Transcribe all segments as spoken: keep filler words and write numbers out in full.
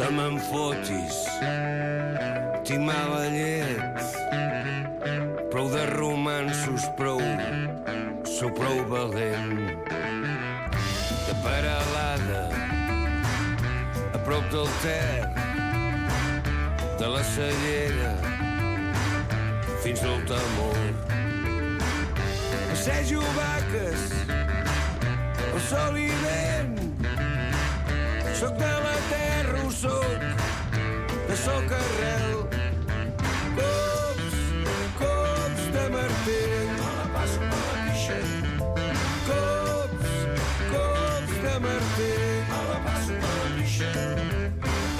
que me'n fotis, timava llet, prou de romansos, prou, sou prou valent. De Peralada, a prop del Ter, de la Cellera, fins al Temor. Passejo vaques, el sol i vent, soc de la terra, ho soc, de soc arrel. Cops, cops de martell, me la passo per la pixa. Cops, cops de martell, me la passo per la pixa.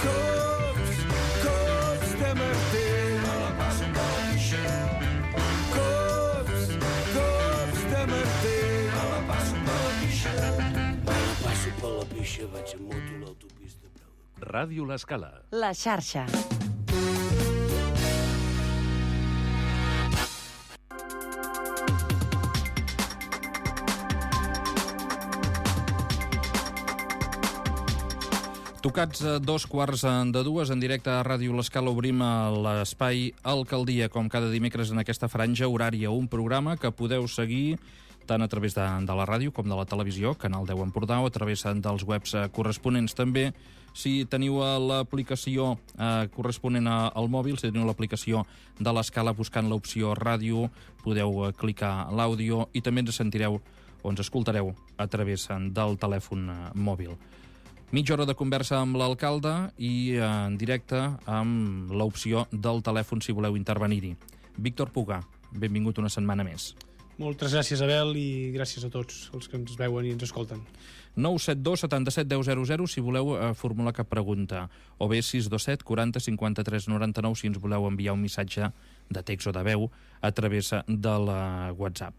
Cops, cops de martell, me la passo per la pixa. Cops, cops de martell, me la passo per la pixa. Me la passo per la pixa, vaig a moto a l'autopista. Ràdio L'Escala. La xarxa. Tocats a dos quarts de dues, en directe a Ràdio L'Escala obrim l'espai Alcaldia, com cada dimecres en aquesta franja horària, un programa que podeu seguir tant a través de, de la ràdio com de la televisió, Canal deu Empordà, o a través dels webs corresponents. També, si teniu l'aplicació eh, corresponent al mòbil, si teniu l'aplicació de l'Escala buscant l'opció ràdio, podeu eh, clicar l'àudio i també ens sentireu o ens escoltareu a través del telèfon eh, mòbil. Mitja hora de conversa amb l'alcalde i eh, en directe amb l'opció del telèfon si voleu intervenir-hi. Víctor Puga, benvingut una setmana més. Moltes gràcies, Abel, i gràcies a tots els que ens veuen i ens escolten. nou set dos setanta set deu zero zero si voleu eh, formular cap pregunta, o bé sis dos set quaranta cinquanta tres noranta nou si ens voleu enviar un missatge de text o de veu a través de la WhatsApp.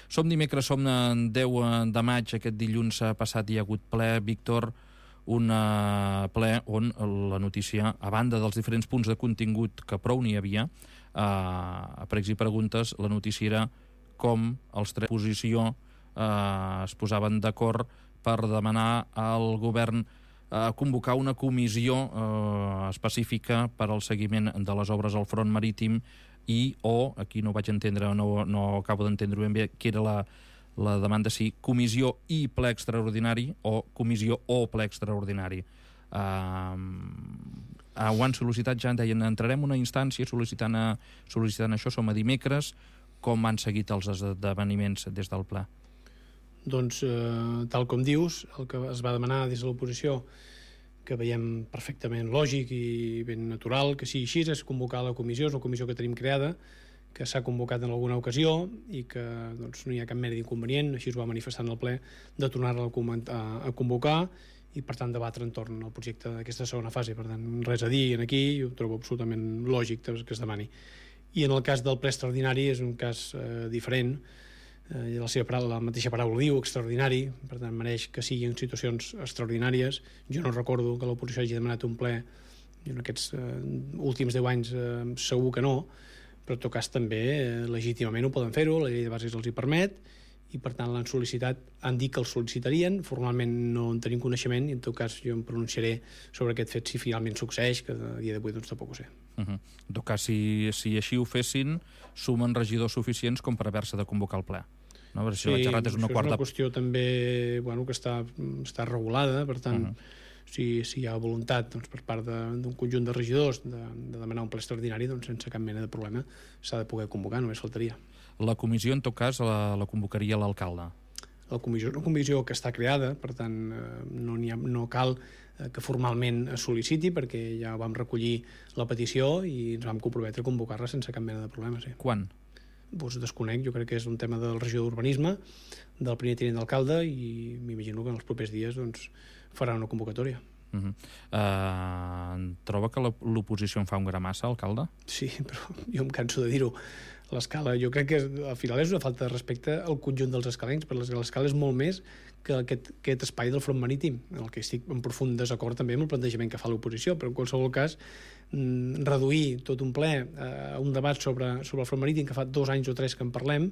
Som dimecres, som deu de maig, aquest dilluns passat hi ha hagut ple, Víctor, un ple on la notícia, a banda dels diferents punts de contingut que prou n'hi havia, eh, a pregs i preguntes, la notícia era com els tres posició eh, es posaven d'acord per demanar al govern eh, convocar una comissió eh, específica per al seguiment de les obres al front marítim i o, aquí no vaig entendre, no, no acabo d'entendre ben bé, que era la, la demanda si comissió i ple extraordinari o comissió o ple extraordinari. Uh, uh, ho han sol·licitat ja, deien, entrarem una instància sol·licitant, a, sol·licitant això, som a dimecres. Com han seguit els esdeveniments des del ple? Doncs, eh, tal com dius, el que es va demanar des de l'oposició, que veiem perfectament lògic i ben natural que sigui així, és convocar la comissió, és una comissió que tenim creada, que s'ha convocat en alguna ocasió i que doncs, no hi ha cap mena d'inconvenient, així es va manifestar en el ple, de tornar-la a, a convocar i per tant debatre entorn al projecte d'aquesta segona fase. Per tant, res a dir aquí, ho trobo absolutament lògic que es demani. I en el cas del ple extraordinari és un cas eh, diferent, eh, la seva paraula, la mateixa paraula diu, extraordinari, per tant mereix que sigui en situacions extraordinàries. Jo no recordo que l'oposició hagi demanat un ple en aquests eh, últims deu anys, eh, segur que no, però en tot cas també eh, legítimament ho poden fer-ho, la llei de bases els hi permet, i per tant l'han sol·licitat, han dit que el sol·licitarien, formalment no en tenim coneixement i en tot cas jo em pronunciaré sobre aquest fet si finalment succeeix, que a dia d'avui doncs tampoc ho sé. Uh-huh. En tot cas, si, si així ho fessin, sumen regidors suficients com per haver-se de convocar el ple. No? Per sí, això és una, quarta... és una qüestió també bueno, que està, està regulada, per tant uh-huh. si, si hi ha voluntat doncs, per part d'un conjunt de regidors de, de demanar un ple extraordinari, doncs sense cap mena de problema s'ha de poder convocar, només faltaria. La comissió, en tot cas, la, la convocaria l'alcalde? La comissió és una comissió que està creada, per tant, eh, no, ha, no cal eh, que formalment es sol·liciti, perquè ja vam recollir la petició i ens vam comprometre a convocar-la sense cap mena de problema. Sí. Quan? Doncs desconec, jo crec que és un tema del regió d'urbanisme, del primer tinent d'alcalde, i m'imagino que en els propers dies doncs, farà una convocatòria. Uh-huh. Uh, troba que l'oposició en fa un gra massa, alcalde? Sí, però jo em canso de dir-ho. L'Escala, jo crec que al final és una falta de respecte al conjunt dels escalencs, perquè l'Escala és molt més que aquest, aquest espai del front marítim, en el que estic en profund desacord també amb el plantejament que fa l'oposició, però en qualsevol cas mm, reduir tot un ple a un debat sobre, sobre el front marítim, que fa dos anys o tres que en parlem,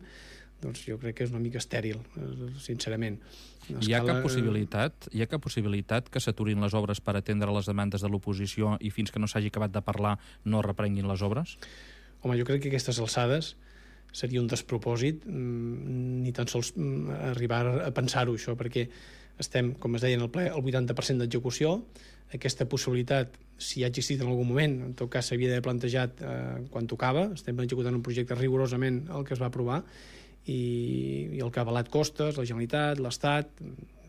doncs jo crec que és una mica estèril, sincerament. Escala... Hi ha cap possibilitat, hi ha cap possibilitat que s'aturin les obres per atendre les demandes de l'oposició i fins que no s'hagi acabat de parlar no reprenguin les obres? Home, jo crec que aquestes alçades seria un despropòsit ni tan sols arribar a pensar-ho, això, perquè estem, com es deia en el ple, al vuitanta per cent d'execució. Aquesta possibilitat, si ha existit en algun moment, en tot cas s'havia d'haver plantejat eh, quan tocava. Estem executant un projecte rigorosament el que es va aprovar i, i el que ha avalat costes, la Generalitat, l'Estat,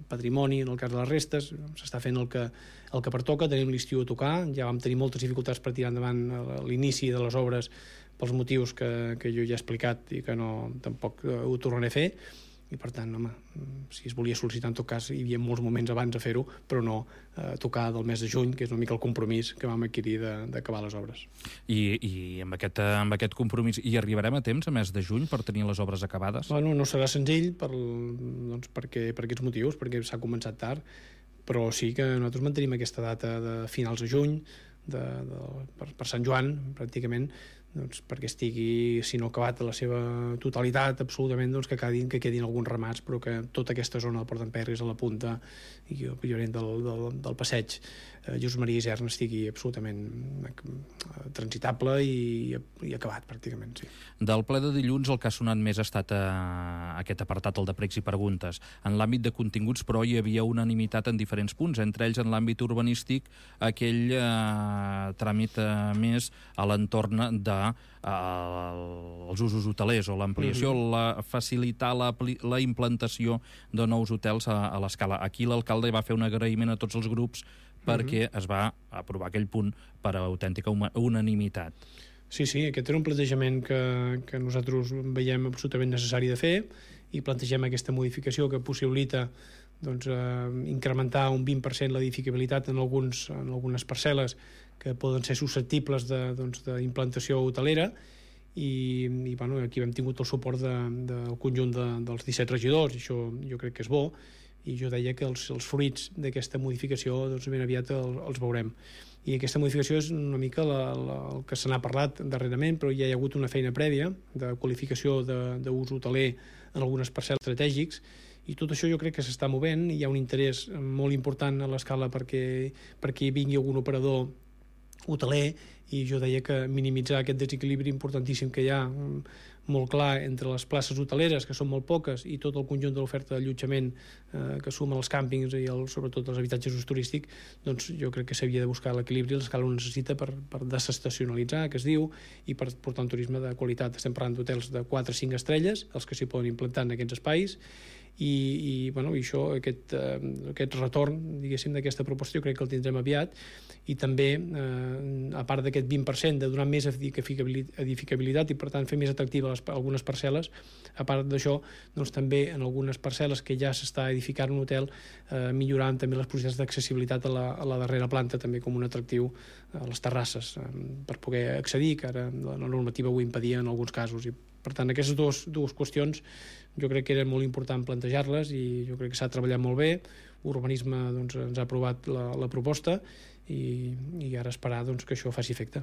patrimoni, en el cas de les restes, s'està fent el que, el que pertoca. Tenim l'estiu a tocar, ja vam tenir moltes dificultats per tirar endavant l'inici de les obres pels motius que, que jo ja he explicat i que no, tampoc ho tornaré a fer, i per tant, home, si es volia sol·licitar, en tot cas hi havia molts moments abans de fer-ho, però no eh, tocar del mes de juny, que és una mica el compromís que vam adquirir d'acabar les obres. I, i amb, aquest, amb aquest compromís hi arribarem a temps, a mes de juny, per tenir les obres acabades? Bueno, no serà senzill per, doncs, perquè, per aquests motius, perquè s'ha començat tard, però sí que nosaltres mantenim aquesta data de finals de juny, de, de, per, per Sant Joan, pràcticament, doncs, perquè estigui, si no acabat a la seva totalitat, absolutament, doncs, que, quedin, que quedin alguns ramats, però que tota aquesta zona del Port d'en Perris, a la punta i a Lloret del, del, del passeig eh, Josep Maria Isern estigui absolutament eh, transitable i, i acabat, pràcticament, sí. Del ple de dilluns el que ha sonat més ha estat eh, aquest apartat, el de pregs i preguntes. En l'àmbit de continguts, però, hi havia unanimitat en diferents punts, entre ells en l'àmbit urbanístic, aquell eh, tràmit eh, més a l'entorn de els usos hotelers o l'ampliació, mm-hmm. la, facilitar la, la implantació de nous hotels a, a l'escala. Aquí l'alcalde va fer un agraïment a tots els grups perquè mm-hmm. es va aprovar aquell punt per autèntica unanimitat. Sí, sí, aquest era un plantejament que, que nosaltres veiem absolutament necessari de fer i plantegem aquesta modificació que possibilita doncs, eh, incrementar un vint per cent l'edificabilitat en, alguns, en algunes parcel·les que poden ser susceptibles d'implantació doncs, hotelera i, i bueno, aquí hem tingut el suport de, del conjunt de, dels disset regidors i això jo crec que és bo i jo deia que els, els fruits d'aquesta modificació doncs, ben aviat el, els veurem. I aquesta modificació és una mica la, la, el que se n'ha parlat darrerament, però ja hi ha hagut una feina prèvia de qualificació d'ús hoteler en algunes parcel·les estratègics i tot això jo crec que s'està movent i hi ha un interès molt important a l'escala perquè, perquè vingui algun operador hoteler i jo deia que minimitzar aquest desequilibri importantíssim que hi ha molt clar entre les places hoteleres, que són molt poques, i tot el conjunt de l'oferta d'allotjament eh, que suma els càmpings i el, sobretot els habitatges d'ús turístic, doncs jo crec que s'havia de buscar l'equilibri, l'escala ho necessita per, per desestacionalitzar, que es diu, i per portar un turisme de qualitat. Estem parlant d'hotels de quatre a cinc estrelles, els que s'hi poden implantar en aquests espais, i, i, bueno, i això, aquest, eh, aquest retorn, diguéssim, d'aquesta proposta jo crec que el tindrem aviat, i també, eh, a part d'aquest vint per cent de donar més edificabilitat i, per tant, fer més atractiva les, algunes parcel·les, a part d'això, doncs també en algunes parcel·les que ja s'està edificant un hotel, eh, millorant també les possibilitats d'accessibilitat a, la, a la darrera planta, també com un atractiu a les terrasses, eh, per poder accedir, que ara la normativa ho impedia en alguns casos, i per tant, aquestes dues, dues qüestions jo crec que era molt important plantejar-les i jo crec que s'ha treballat molt bé. Urbanisme doncs, ens ha aprovat la, la proposta i, i ara esperar doncs, que això faci efecte.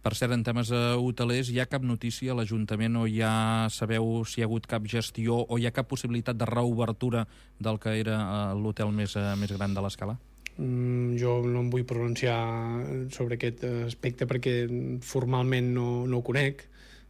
Per cert, en temes uh, hotelers, hi ha cap notícia a l'Ajuntament o ja sabeu si hi ha hagut cap gestió o hi ha cap possibilitat de reobertura del que era uh, l'hotel més, uh, més gran de l'escala? Mm, jo no em vull pronunciar sobre aquest aspecte perquè formalment no, no ho conec.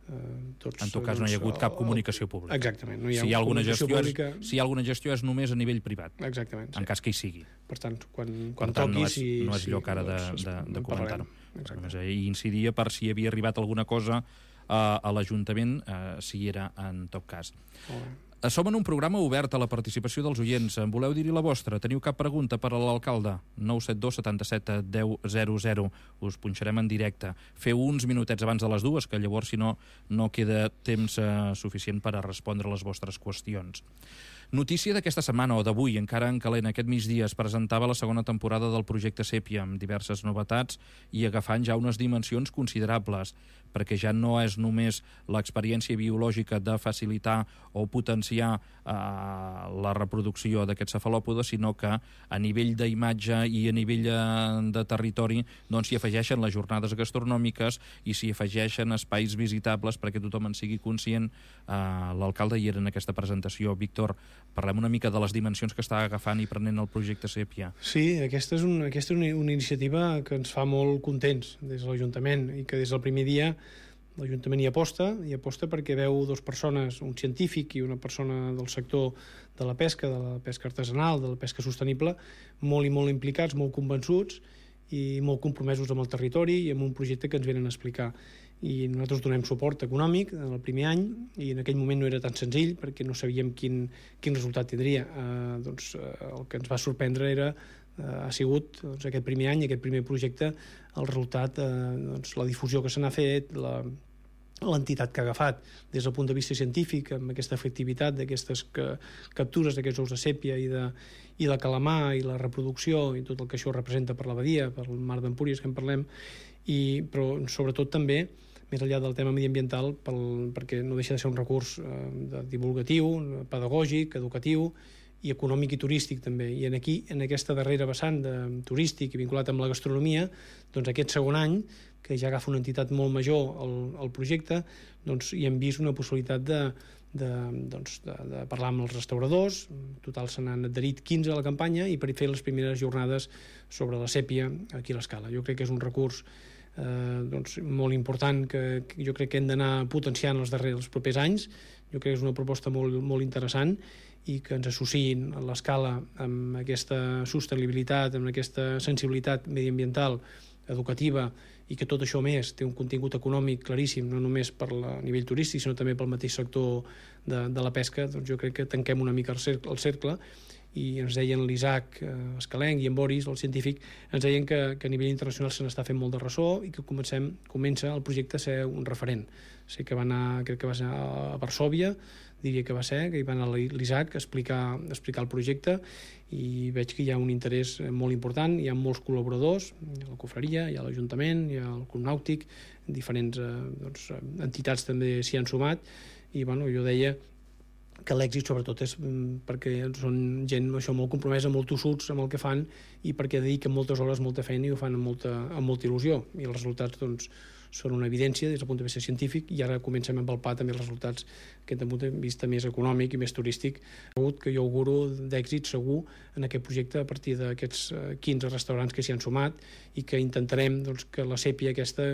Tots, en tot cas, doncs, no hi ha hagut cap comunicació pública. Exactament. No hi ha si, hi ha alguna gestió pública... és, si hi ha alguna gestió és només a nivell privat. Exactament. En sí. cas que hi sigui. Per tant, quan, quan per tant, toqui... no és, si, no és lloc ara de, doncs, de, de comentar-ho. Exacte. I incidia per si havia arribat alguna cosa a, a l'Ajuntament, eh, si hi era en tot cas. Som en un programa obert a la participació dels oients. En voleu dir-hi la vostra? Teniu cap pregunta per a l'alcalde? nou set dos setanta set deu zero zero. Us punxarem en directe. Feu uns minutets abans de les dues, que llavors, si no, no queda temps eh, suficient per a respondre les vostres qüestions. Notícia d'aquesta setmana, o d'avui, encara en calent, aquest migdia es presentava la segona temporada del projecte Sèpia, amb diverses novetats i agafant ja unes dimensions considerables, perquè ja no és només l'experiència biològica de facilitar o potenciar potenciar eh, la reproducció d'aquests cefalòpodes, sinó que a nivell d'imatge i a nivell de territori doncs s'hi afegeixen les jornades gastronòmiques i s'hi afegeixen espais visitables perquè tothom en sigui conscient. Eh, L'alcalde hi era en aquesta presentació. Víctor, parlem una mica de les dimensions que està agafant i prenent el projecte Sèpia. Sí, aquesta és, un, aquesta és una, una iniciativa que ens fa molt contents des de l'Ajuntament i que des del primer dia l'Ajuntament hi aposta, hi aposta perquè veu dues persones, un científic i una persona del sector de la pesca, de la pesca artesanal, de la pesca sostenible, molt i molt implicats, molt convençuts i molt compromesos amb el territori i amb un projecte que ens venen a explicar. I nosaltres donem suport econòmic en el primer any i en aquell moment no era tan senzill perquè no sabíem quin, quin resultat tindria. Eh, doncs, eh, el que ens va sorprendre era ha sigut doncs, aquest primer any, aquest primer projecte, el resultat, eh, doncs, la difusió que se n'ha fet, la, l'entitat que ha agafat des del punt de vista científic, amb aquesta efectivitat d'aquestes captures d'aquests ous de sèpia i de, i de calamar i la reproducció i tot el que això representa per la badia, per el mar d'Empúries que en parlem, i, però sobretot també més enllà del tema mediambiental, pel, perquè no deixa de ser un recurs eh, de divulgatiu, pedagògic, educatiu i econòmic i turístic també. I en aquí, en aquesta darrera vessant de turístic i vinculat amb la gastronomia, doncs aquest segon any, que ja agafa una entitat molt major al, al projecte, doncs hi hem vist una possibilitat de, de, doncs, de, de parlar amb els restauradors. En total se n'han adherit quinze a la campanya i per fer les primeres jornades sobre la sèpia aquí a l'Escala. Jo crec que és un recurs eh, doncs, molt important que, que jo crec que hem d'anar potenciant els darrers, els propers anys. Jo crec que és una proposta molt, molt interessant i que ens associïn a l'Escala amb aquesta sostenibilitat, amb aquesta sensibilitat mediambiental, educativa, i que tot això més té un contingut econòmic claríssim, no només per la, a nivell turístic, sinó també pel mateix sector de, de la pesca. Doncs jo crec que tanquem una mica el cercle, el cercle i ens deien l'Isaac eh, Escalenc i en Boris, el científic, ens deien que, que a nivell internacional se n'està fent molt de ressò i que comencem, comença el projecte a ser un referent. Sé que va anar, crec que va ser a Varsòvia, diria que va ser, que hi va anar l'Isaac a explicar, a explicar el projecte i veig que hi ha un interès molt important, hi ha molts col·laboradors, hi ha la cofreria, hi ha l'Ajuntament, hi ha el Club Nàutic, diferents eh, doncs, entitats també s'hi han sumat i bueno, jo deia que l'èxit sobretot és perquè són gent això, molt compromesa, molt tossuts amb el que fan i perquè dediquen moltes hores, molta feina i ho fan amb molta, amb molta il·lusió i els resultats doncs, són una evidència des del punt de vista científic i ara comencem a empalpar també els resultats que des del punt de vista més econòmic i més turístic que jo auguro d'èxit segur en aquest projecte a partir d'aquests quinze restaurants que s'hi han sumat i que intentarem doncs, que la sèpia aquesta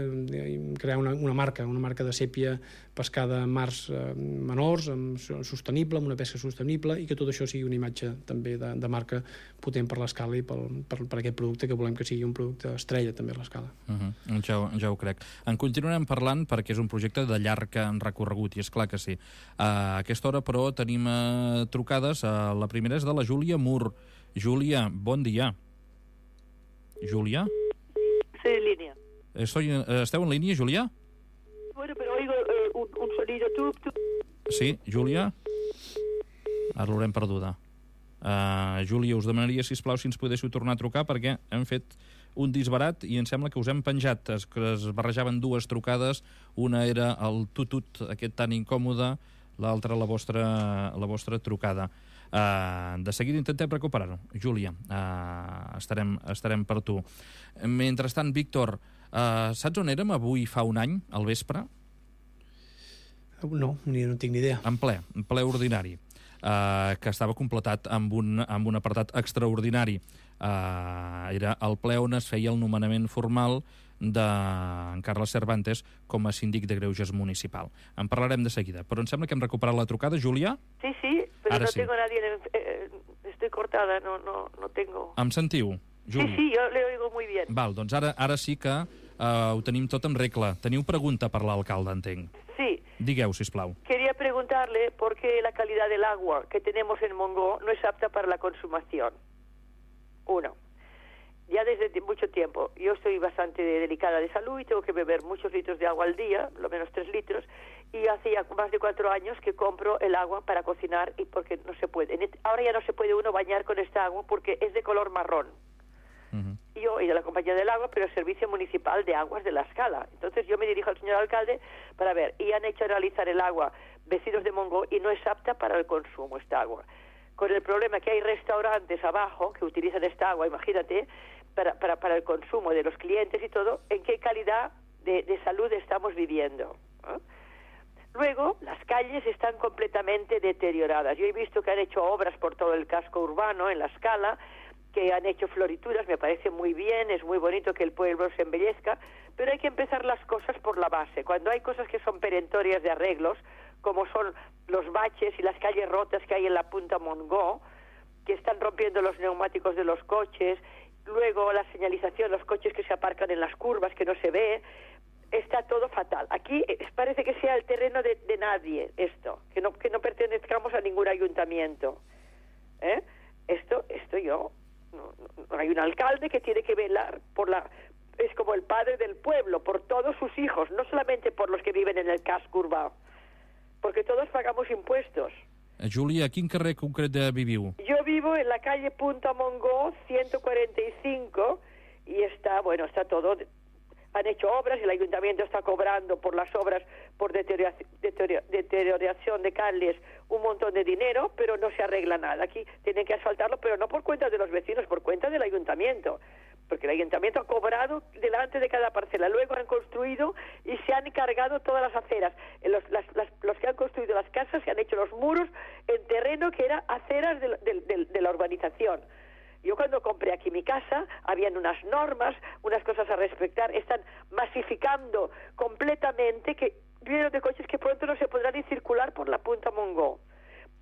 crear una, una marca, una marca de sèpia pescada en mars eh, menors, amb, sostenible, amb una pesca sostenible i que tot això sigui una imatge també de, de marca potent per l'Escala i per, per, per aquest producte que volem que sigui un producte estrella també a l'Escala. Uh-huh. ja, ja ho crec. En continuarem parlant perquè és un projecte de llarg recorregut i és clar que sí. A aquesta hora, però, tenim uh, trucades. Uh, la primera és de la Júlia Mur. Júlia, bon dia. Júlia? Estoy en línea. Estoy, uh, ¿Esteu en línia, Júlia? Bueno, pero oigo eh, un, un sonido. Tu, tu. Sí, Júlia? Ara l'haurem perduda. Uh, Júlia, us demanaria, sisplau, si ens podéssiu tornar a trucar perquè hem fet un disbarat i em sembla que us hem penjat, es, que es barrejaven dues trucades, una era el tutut aquest tan incòmode, l'altra la vostra, la vostra trucada. Uh, de seguida intentem recuperar-ho. Júlia, uh, estarem, estarem per tu. Mentrestant, Víctor, uh, saps on érem avui fa un any, al vespre? No, ni, no tinc ni idea. En ple, en ple ordinari. Uh, que estava completat amb un, amb un apartat extraordinari. Uh, era el ple on es feia el nomenament formal d'en Carles Cervantes com a síndic de Greuges municipal. En parlarem de seguida, però em sembla que hem recuperat la trucada, Júlia? Sí, sí, però Ara no sí. tengo nadie, en, eh, estoy cortada, no, no, no tengo... Em sentiu, Júlia? Sí, sí, jo le oigo muy bien. Val, doncs ara, ara sí que uh, ho tenim tot en regla. Teniu pregunta per l'alcalde, entenc. Sí. Digueu, sisplau. Quería preguntarle por qué la calidad del agua que tenemos en Mongó no es apta para la consumación. Uno. Ya desde mucho tiempo. Yo estoy bastante delicada de salud y tengo que beber muchos litros de agua al día, lo menos tres litros, y hace ya más de cuatro años que compro el agua para cocinar y porque no se puede. Ahora ya no se puede uno bañar con esta agua porque es de color marrón. Uh-huh. yo y de la Compañía del Agua, pero el Servicio Municipal de Aguas de La Escala. Entonces yo me dirijo al señor alcalde para ver, y han hecho analizar el agua vecinos de Montgó y no es apta para el consumo esta agua. Con el problema que hay restaurantes abajo que utilizan esta agua, imagínate, para, para, para el consumo de los clientes y todo, ¿en qué calidad de, de salud estamos viviendo? ¿Eh? Luego, las calles están completamente deterioradas. Yo he visto que han hecho obras por todo el casco urbano, en La Escala, que han hecho florituras, me parece muy bien, es muy bonito que el pueblo se embellezca, pero hay que empezar las cosas por la base. Cuando hay cosas que son perentorias de arreglos, como son los baches y las calles rotas que hay en la Punta Montgó, que están rompiendo los neumáticos de los coches, luego la señalización, los coches que se aparcan en las curvas, que no se ve, está todo fatal. Aquí parece que sea el terreno de, de nadie esto, que no, que no pertenezcamos a ningún ayuntamiento. ¿Eh? Esto, esto yo... No, no, hay un alcalde que tiene que velar por la... Es como el padre del pueblo, por todos sus hijos, no solamente por los que viven en el casco urbano, porque todos pagamos impuestos. Júlia, a quin carrer concret viviu? Yo vivo en la calle Punta Montgó ciento cuarenta y cinco y está, bueno, está todo... Han hecho obras y el ayuntamiento está cobrando por las obras, por deterioración, deterioración de calles, un montón de dinero, pero no se arregla nada. Aquí tienen que asfaltarlo, pero no por cuenta de los vecinos, por cuenta del ayuntamiento. Porque el ayuntamiento ha cobrado delante de cada parcela. Luego han construido y se han cargado todas las aceras. Los, las, las, los que han construido las casas se han hecho los muros en terreno que era aceras de, de, de, de la urbanización. Yo cuando compré aquí mi casa, habían unas normas, unas cosas a respetar, están masificando completamente que vienen de coches que pronto no se podrán ni circular por la Punta Montgó.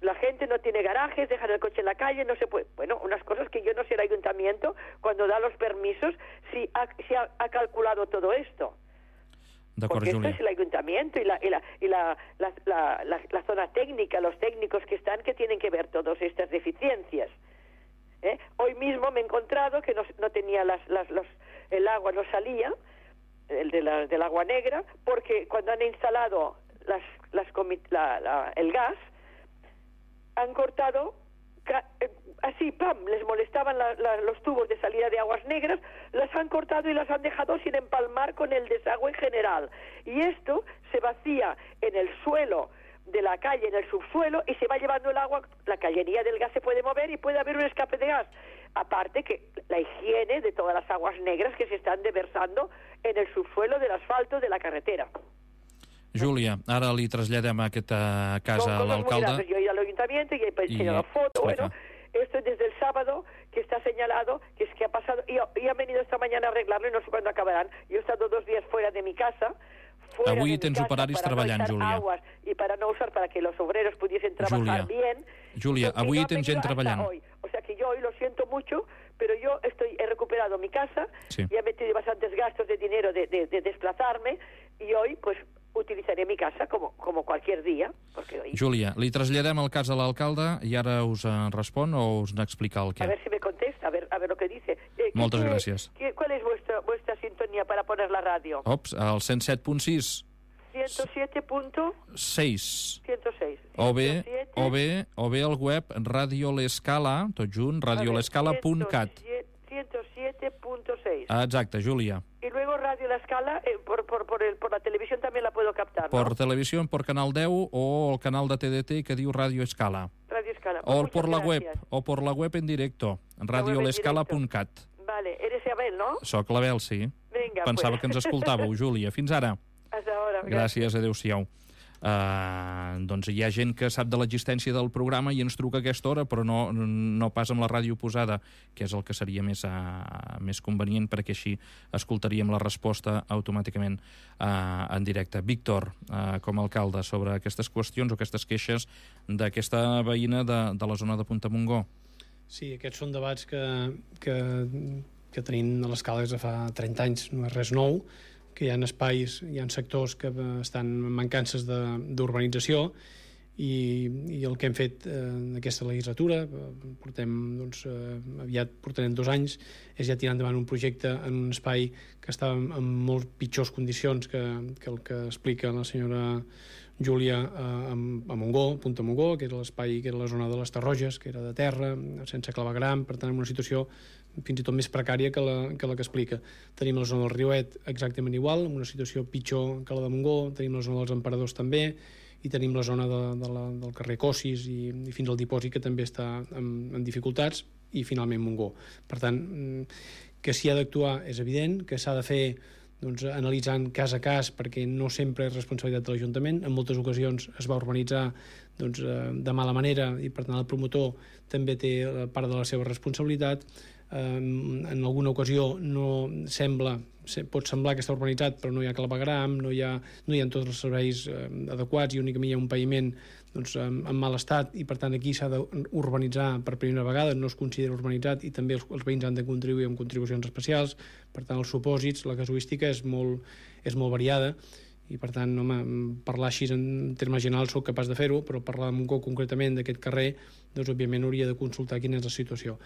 La gente no tiene garajes, dejan el coche en la calle, no se puede... Bueno, unas cosas que yo no sé el ayuntamiento, cuando da los permisos, si ha, si ha, ha calculado todo esto. Porque esto es el ayuntamiento y, la, y, la, y la, la, la, la, la zona técnica, los técnicos que están, que tienen que ver todas estas deficiencias. ¿Eh? Hoy mismo me he encontrado que no, no tenía las, las, los, el agua, no salía, el de la, del agua negra, porque cuando han instalado las, las la, la, el gas, han cortado, ca, eh, así, pam, les molestaban la, la, los tubos de salida de aguas negras, las han cortado y las han dejado sin empalmar con el desagüe general. Y esto se vacía en el suelo de la calle, en el subsuelo, y se va llevando el agua, la cañería del gas se puede mover y puede haber un escape de gas. Aparte que la higiene de todas las aguas negras que se están deversando en el subsuelo del asfalto de la carretera. Júlia, ara li traslladem aquesta casa a l'alcalde. Yo he ido al ayuntamiento y he enseñado la foto, bueno, esto es desde el sábado que está señalado, que es que ha pasado, y, y han venido esta mañana a arreglarlo y no sé cuándo acabarán. Yo he estado dos días fuera de mi casa, Avui tens operaris treballant, Júlia. Y para no usar, para que los obreros pudiesen trabajar bien. Júlia, avui no tens gent treballant. O sea que yo hoy lo siento mucho, pero yo estoy he recuperado mi casa, sí. Y he metido bastantes gastos de dinero de, de, de desplazarme, y hoy pues utilizaré mi casa como, como cualquier día. Porque hoy... Júlia, li traslladem el cas a l'alcalde i ara us respon o us n'explica el què? A ver si me contesta, a ver, a ver lo que dice. Eh, Moltes ¿qué, gràcies. ¿qué, ¿Cuál es vuestra, vuestra sintonía para poner la radio? Ops, el cent set punt sis. ciento siete punto seis. ciento seis. O bé, o bé, o bé el web Radio L'Escala, tot junt, radio l'escala punt cat. ciento siete punto seis. Exacte, Júlia. Y luego Radio La Escala, eh, por, por, por, el, por la televisión también la puedo captar, ¿no? Por televisión, por Canal deu o el canal de T D T que diu Radio Escala. Radio Escala. O Muchas por la gracias. web, o por la web en directo, radio l'escala punt cat. Vale, eres Abel, ¿no? Soc l'Abel, sí. Vinga, Pensava pues. que ens escoltàveu, Júlia. Fins ara. Hasta ahora. Gràcies, adéu-siau. Uh, doncs hi ha gent que sap de l'existència del programa i ens truca a aquesta hora, però no, no pas amb la ràdio posada, que és el que seria més, uh, més convenient, perquè així escoltaríem la resposta automàticament uh, en directe. Víctor, uh, com a alcalde, sobre aquestes qüestions o aquestes queixes d'aquesta veïna de, de la zona de Punta Montgó. Sí, aquests són debats que, que, que tenim a l'Escala des de fa trenta anys, no és res nou, que hi ha espais, hi ha sectors que estan en mancances d'urbanització i, i el que hem fet eh, en aquesta legislatura, portem, doncs, eh, aviat portarem dos anys, és ja tirar endavant un projecte en un espai que està en molt pitjors condicions que, que el que explica la senyora Júlia a, a Montgó, Punta Montgó, que era l'espai, que era la zona de les Tarroges, que era de terra, sense clavegram, per tant, en una situació fins i tot més precària que la que, la que explica. Tenim la zona del Riuet exactament igual, en una situació pitjor que la de Montgó, tenim la zona dels Emperadors també, i tenim la zona de, de la, del carrer Cossis i, i fins al Dipòsit, que també està en, en dificultats, i finalment Montgó. Per tant, que s'hi ha d'actuar és evident, que s'ha de fer doncs, analitzant cas a cas, perquè no sempre és responsabilitat de l'Ajuntament. En moltes ocasions es va urbanitzar doncs, de mala manera i per tant el promotor també té part de la seva responsabilitat. En alguna ocasió no sembla, pot semblar que està urbanitzat però no hi ha clavegram, no hi ha, no hi ha tots els serveis adequats i únicament hi ha un paviment doncs, en, en mal estat, i per tant aquí s'ha d'urbanitzar per primera vegada, no es considera urbanitzat, i també els, els veïns han de contribuir amb contribucions especials. Per tant, els supòsits, la casuística és molt, és molt variada, i per tant, home, parlar així en termes generals soc capaç de fer-ho, però parlar de Montgó concretament d'aquest carrer, doncs òbviament hauria de consultar quina és la situació.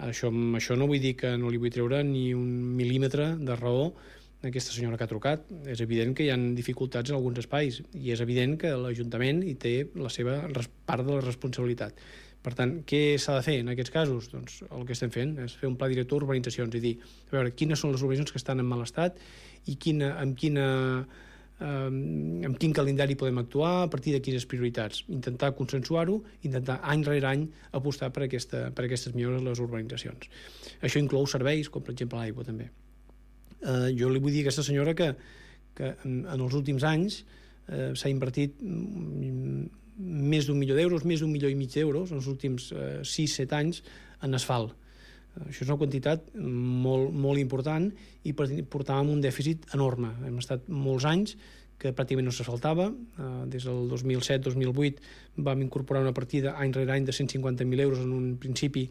Això, amb això no vull dir que no li vull treure ni un mil·límetre de raó a aquesta senyora que ha trucat. És evident que hi ha dificultats en alguns espais i és evident que l'Ajuntament hi té la seva part de la responsabilitat. Per tant, què s'ha de fer en aquests casos? Doncs el que estem fent és fer un pla director d'urbanitzacions i dir, a veure, quines són les urbanitzacions que estan en mal estat i quina, amb quina amb quin calendari podem actuar, a partir de quines prioritats, intentar consensuar-ho, intentar any rere any apostar per, aquesta, per aquestes millores a les urbanitzacions. Això inclou serveis, com per exemple l'aigua també. Eh, jo li vull dir a aquesta senyora que, que en, en els últims anys eh, s'ha invertit més d'un milió d'euros, més d'un milió i mig d'euros en els últims eh, sis set anys en asfalt. Això és una quantitat molt, molt important i portàvem un dèficit enorme. Hem estat molts anys que pràcticament no s'asfaltava. Des del dos mil set dos mil vuit vam incorporar una partida any rere any de cent cinquanta mil euros en un principi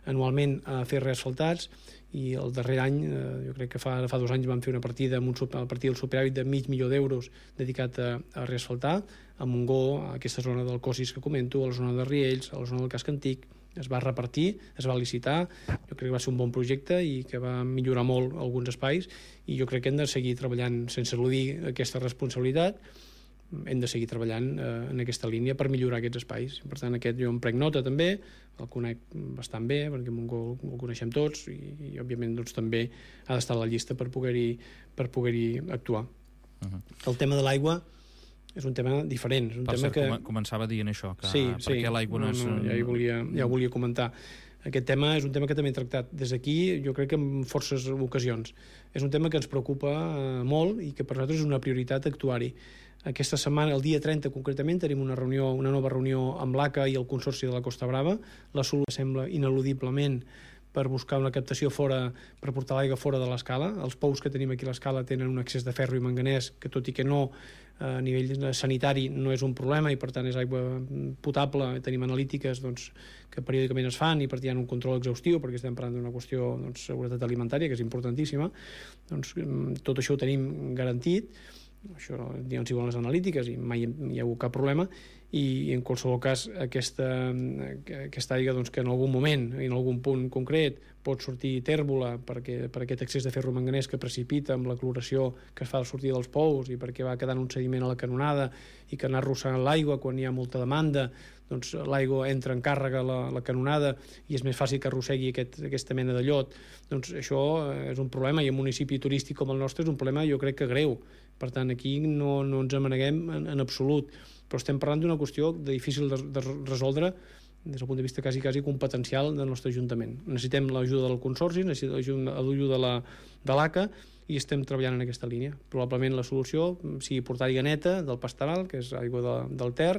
anualment a fer reasfaltats, i el darrer any, jo crec que fa, fa dos anys vam fer una partida amb un, a partir del superàvit de mig milió d'euros dedicat a, a reasfaltar a Montgó, a aquesta zona del Cossis que comento, a la zona de Riells, a la zona del Casc Antic. Es va repartir, es va licitar, jo crec que va ser un bon projecte i que va millorar molt alguns espais, i jo crec que hem de seguir treballant sense eludir aquesta responsabilitat. Hem de seguir treballant eh, en aquesta línia per millorar aquests espais. Per tant, aquest jo em prenc nota també, el conec bastant bé, perquè Montgó el coneixem tots, i, i òbviament doncs, també ha d'estar a la llista per poder-hi per poder-hi actuar. Uh-huh. El tema de l'aigua és un tema diferent. És un per tema cert, que... començava dient això, que sí, per sí. què l'aigua no, no és... No, ja, ho volia, ja ho volia comentar. Aquest tema és un tema que també he tractat des d'aquí, jo crec que en forces ocasions. És un tema que ens preocupa eh, molt i que per nosaltres és una prioritat actuar-hi. Aquesta setmana, el dia trenta concretament, tenim una reunió, una nova reunió amb l'A C A i el Consorci de la Costa Brava. La solució sembla ineludiblement per buscar una captació fora, per portar l'aigua fora de l'escala. Els pous que tenim aquí a l'escala tenen un excés de ferro i manganès que, tot i que no a nivell sanitari no és un problema, i per tant és aigua potable. Tenim analítiques doncs, que periòdicament es fan i per tant hi ha un control exhaustiu, perquè estem parlant d'una qüestió de doncs, seguretat alimentària, que és importantíssima. Doncs, tot això ho tenim garantit. Això diuen si volen les analítiques i mai hi ha hagut cap problema, i en qualsevol cas aquesta, aquesta aigua doncs, que en algun moment, en algun punt concret, pot sortir tèrbola perquè, per aquest excés de ferro manganès que precipita amb la cloració que es fa al sortir dels pous i perquè va quedant un sediment a la canonada i que anar arrossegant l'aigua quan hi ha molta demanda, doncs l'aigua entra en càrrega a la, la canonada i és més fàcil que arrossegui aquest, aquesta mena de llot. Doncs això és un problema, i en un municipi turístic com el nostre és un problema jo crec que greu. Per tant, aquí no, no ens amaneguem en, en absolut, però estem parlant d'una qüestió de difícil de, de resoldre des del punt de vista quasi, quasi competencial del nostre Ajuntament. Necessitem l'ajuda del Consorci, necessitem l'ajuda de la, de l'A C A, i estem treballant en aquesta línia. Probablement la solució sigui portar aigua neta del Pastoral, que és aigua de, del Ter,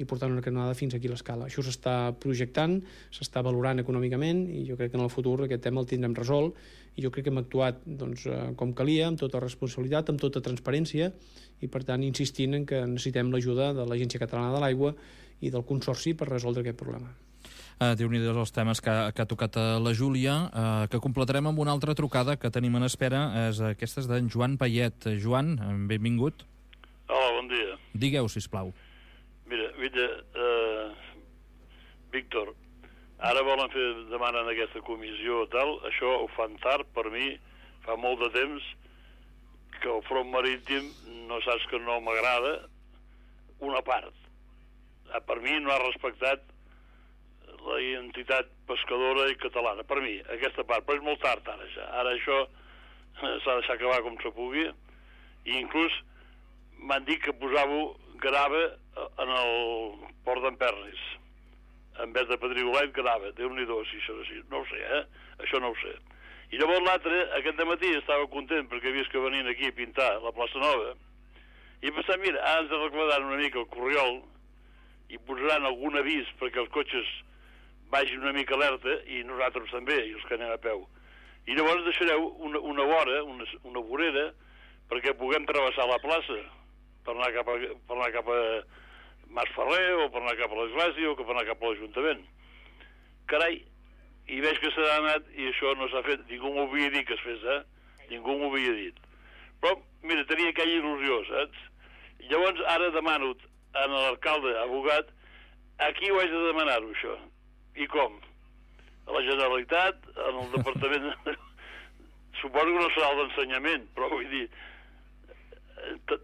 i portar una canonada fins aquí a l'escala. Això s'està projectant, s'està valorant econòmicament, i jo crec que en el futur aquest tema el tindrem resolt, i jo crec que hem actuat doncs, com calia, amb tota responsabilitat, amb tota transparència, i per tant insistint en que necessitem l'ajuda de l'Agència Catalana de l'Aigua i del Consorci per resoldre aquest problema. Uh, Déu-n'hi-do els temes que, que ha tocat a la Júlia, uh, que completarem amb una altra trucada que tenim en espera, és aquesta d'en Joan Payet. Joan, benvingut. Hola, bon dia. Digueu, sisplau. Mira, mira, eh, Víctor, ara volen fer, demanen aquesta comissió tal, això ho fan tard per mi, fa molt de temps que el front marítim no saps que no m'agrada, una part. Per mi no ha respectat la identitat pescadora i catalana, per mi, aquesta part, però és molt tard ara ja. Ara això s'ha de deixar acabar com se pugui, i inclús m'han dit que posàveu grava en el port d'Empernis, en vez de pedrigolet, grava, Déu-n'hi-do, si això és així, no ho sé, eh? Això no ho sé. I llavors l'altre, aquest dematí estava content perquè he vist que venien aquí a pintar la plaça Nova, i he pensat, mira, ara ens arreglaran una mica el corriol i posaran algun avís perquè els cotxes vagin una mica alerta, i nosaltres també, i els que anem a peu. I llavors deixareu una, una vora, una, una vorera, perquè puguem travessar la plaça per anar cap a, per anar cap a Mas Ferrer, o per anar cap a l'església, o per anar cap a l'Ajuntament. Carai, i veig que s'ha anat, i això no s'ha fet. Ningú m'ho havia dit que es fes, eh? Ningú m'ho havia dit. Però, mira, tenia aquella il·lusió, saps? Llavors, ara demano a l'alcalde, abogat, a qui ho haig de demanar-ho, això? I com? A la Generalitat, en el Departament... Suposo que no serà el d'ensenyament, però vull dir,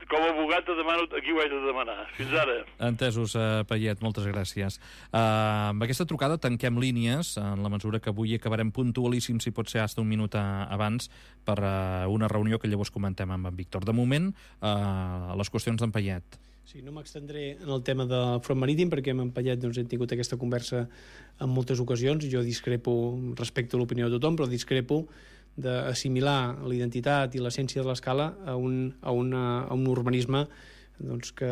com a abogat te demano a qui ho haig de demanar. Fins ara. Entesos, uh, Payet, moltes gràcies. Uh, amb aquesta trucada tanquem línies, en la mesura que avui acabarem puntualíssim, si pot ser fins un minut abans, per uh, una reunió que llavors comentem amb en Víctor. De moment, uh, les qüestions d'en Payet. Sí, no m'extendré en el tema del front marítim, perquè amb en Payet doncs, hem tingut aquesta conversa en moltes ocasions. Jo discrepo respecte a l'opinió de tothom, però discrepo d'assimilar l'identitat i l'essència de l'Escala a un, a una, a un urbanisme doncs, que,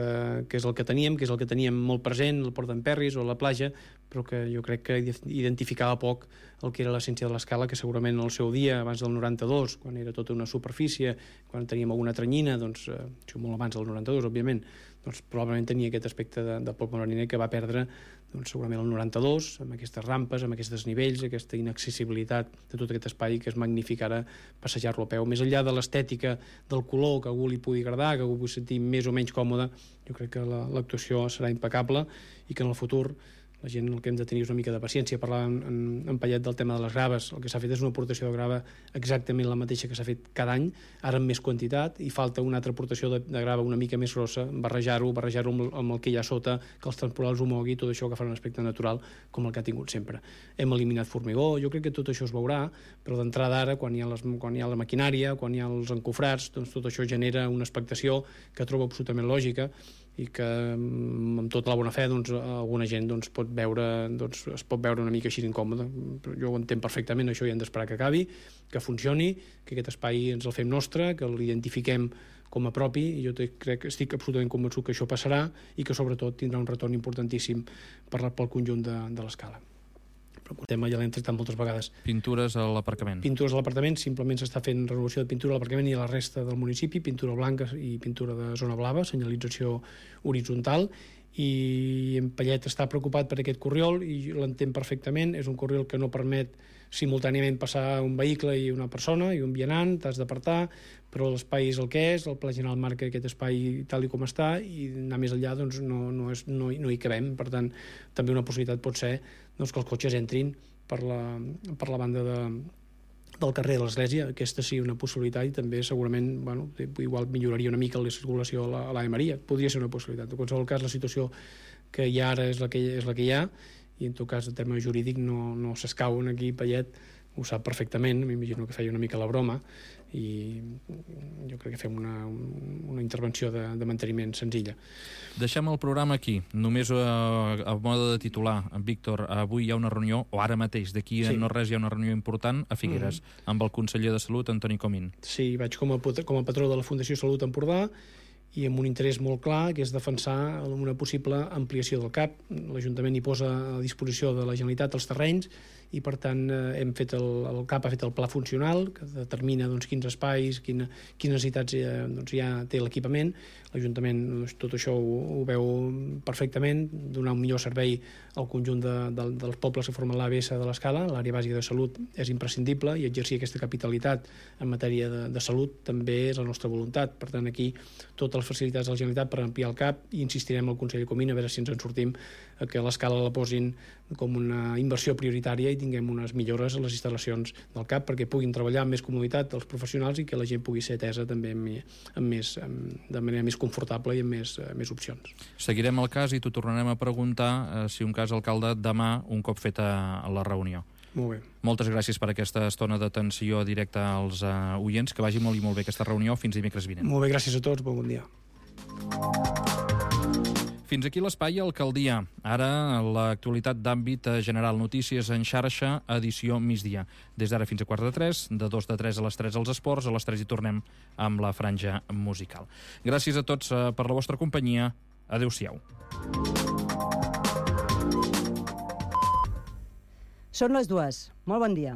que és el que teníem, que és el que teníem molt present, el Port d'Emperris o la platja, però que jo crec que identificava poc el que era l'essència de l'Escala, que segurament en el seu dia, abans del noranta-dos, quan era tota una superfície, quan teníem alguna tranyina, doncs, eh, això molt abans del noranta-dos, òbviament, doncs probablement tenia aquest aspecte de, de poble mariner que va perdre doncs, segurament el noranta-dos, amb aquestes rampes, amb aquests desnivells, aquesta inaccessibilitat de tot aquest espai que és magnífic ara passejar-lo a peu. Més enllà de l'estètica, del color, que a algú li pugui agradar, que algú pugui sentir més o menys còmode, jo crec que l'actuació serà impecable i que en el futur la gent el que hem de tenir és una mica de paciència. Parlàvem en, en Payet del tema de les graves. El que s'ha fet és una aportació de grava exactament la mateixa que s'ha fet cada any, ara amb més quantitat, i falta una altra aportació de, de grava una mica més grossa, barrejar-ho, barrejar-ho amb, amb el que hi ha sota, que els temporals ho mogui, tot això que farà un aspecte natural com el que ha tingut sempre. Hem eliminat formigó, jo crec que tot això es veurà, però d'entrada ara, quan hi ha, les, quan hi ha la maquinària, quan hi ha els encofrats, doncs tot això genera una expectació que trobo absolutament lògica i que amb tota la bona fe doncs, alguna gent doncs, pot veure, doncs, es pot veure una mica així incòmode. Jo ho entenc perfectament, això ja hem d'esperar que acabi, que funcioni, que aquest espai ens el fem nostre, que l'identifiquem com a propi, i jo crec, estic absolutament convençut que això passarà i que sobretot tindrà un retorn importantíssim per, pel conjunt de, de l'Escala. Però el tema ja l'hem tractat moltes vegades. Pintures a l'aparcament. Pintures a l'aparcament, simplement s'està fent renovació de pintura a l'aparcament i a la resta del municipi, pintura blanca i pintura de zona blava, senyalització horitzontal, i en Payet està preocupat per aquest corriol i l'entén perfectament. És un corriol que no permet simultàniament passar un vehicle i una persona i un vianant, t'has d'apartar, però l'espai és el que és, el Pla General marca aquest espai tal i com està, i anar més enllà doncs, no, no, és, no, no hi cabem. Per tant, també una possibilitat pot ser doncs, que els cotxes entrin per la, per la banda de, del carrer de l'Església. Aquesta sí una possibilitat, i també segurament bueno, igual milloraria una mica la circulació a l'Ave Maria. Podria ser una possibilitat. En qualsevol cas, la situació que hi ha ara és la que, és la que hi ha, i en tot cas el tema jurídic no, no s'escauen aquí. Payet ho sap perfectament, m'imagino que feia una mica la broma, i jo crec que fem una, una intervenció de, de manteniment senzilla. Deixem el programa aquí. Només a, a mode de titular, en Víctor, avui hi ha una reunió, o ara mateix, d'aquí sí. no res, hi ha una reunió important a Figueres, mm-hmm. amb el conseller de Salut, Antoni Comín. Sí, vaig com a, com a patró de la Fundació Salut Empordà, i amb un interès molt clar, que és defensar una possible ampliació del C A P. L'Ajuntament hi posa a disposició de la Generalitat els terrenys, i per tant hem fet el, el C A P ha fet el pla funcional, que determina doncs, quins espais, quina, quines necessitats eh, doncs, ja té l'equipament. L'Ajuntament doncs, tot això ho, ho veu perfectament, donar un millor servei al conjunt de, de, dels pobles que formen l'A B S de l'Escala. L'àrea bàsica de salut és imprescindible, i exercir aquesta capitalitat en matèria de, de salut també és la nostra voluntat. Per tant, aquí tota totes les facilitats de la Generalitat per ampliar el CAP i insistirem al Consell de Comín a veure si ens en sortim, que l'escala la posin com una inversió prioritària i tinguem unes millores a les instal·lacions del CAP perquè puguin treballar amb més comoditat els professionals i que la gent pugui ser atesa també amb, amb més, amb, de manera més confortable i amb més, uh, més opcions. Seguirem el cas i t'ho tornarem a preguntar eh, si un cas, alcalde, demà, un cop feta la reunió. Molt bé. Moltes gràcies per aquesta estona d'atenció directa als uh, oients. Que vagi molt i molt bé aquesta reunió. Fins dimecres vinent. Molt bé, gràcies a tots. Bon, bon dia. Fins aquí l'espai Alcaldia. Ara, l'actualitat d'àmbit general. Notícies en xarxa, edició migdia. Des d'ara fins a quart de tres, de dos de tres a les tres als esports, a les tres hi tornem amb la franja musical. Gràcies a tots per la vostra companyia. Adéu-siau. Són les dues. Molt bon dia.